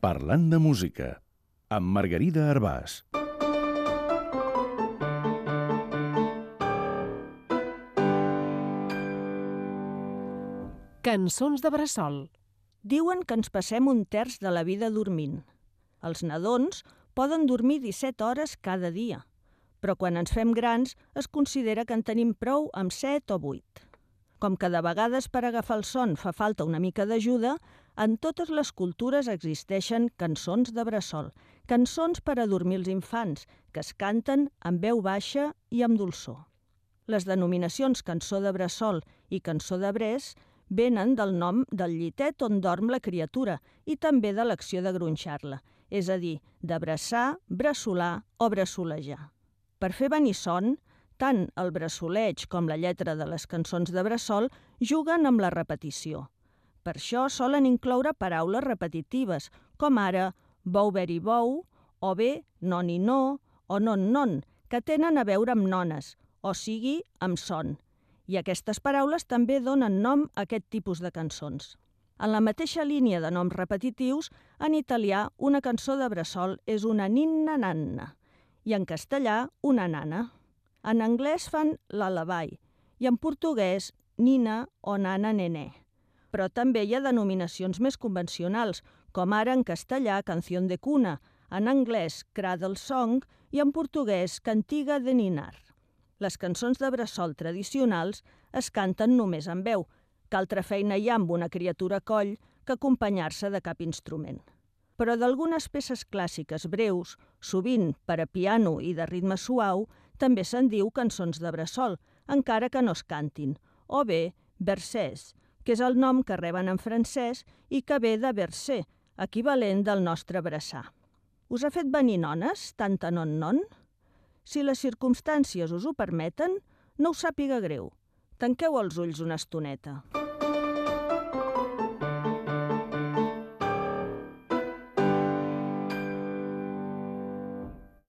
Parlant de música, amb Margarida Arbàs. Cançons de bressol. Diuen que ens passem un terç de la vida dormint. Els nadons poden dormir 17 hores cada dia, però quan ens fem grans es considera que en tenim prou amb 7 o 8. Com que de vegades per agafar el son fa falta una mica d'ajuda, en totes les cultures existeixen cançons de bressol, cançons per a dormir els infants, que es canten amb veu baixa i amb dolçor. Les denominacions cançó de bressol i cançó de bres venen del nom del llitet on dorm la criatura i també de l'acció de gronxar-la, és a dir, de bressar, bressolar o bressolejar. Per fer venir son, tant el bressoleig com la lletra de les cançons de bressol juguen amb la repetició. Per això solen incloure paraules repetitives, com ara bou beri bou, o bé non i no, o non non, que tenen a veure amb nones, o sigui, amb son. I aquestes paraules també donen nom a aquest tipus de cançons. En la mateixa línia de noms repetitius, en italià una cançó de bressol és una ninna nanna i en castellà una nana. En anglès fan lullaby i en portuguès nina o nana nené. Però també hi ha denominacions més convencionals, com ara en castellà canción de cuna, en anglès cradle song i en portuguès cantiga de ninar. Les cançons de bressol tradicionals es canten només amb veu. Que altra feina hi ha amb una criatura a coll que acompanyar-se de cap instrument. Però d'algunes peces clàssiques breus, sovint per a piano i de ritme suau, també se'n diu cançons de bressol, encara que no es cantin, o bé versets, que és el nom que reben en francès i que ve de verser, equivalent del nostre bressar. Us ha fet venir nones, tanta non-non? Si les circumstàncies us ho permeten, no us sàpiga greu. Tanqueu els ulls una estoneta.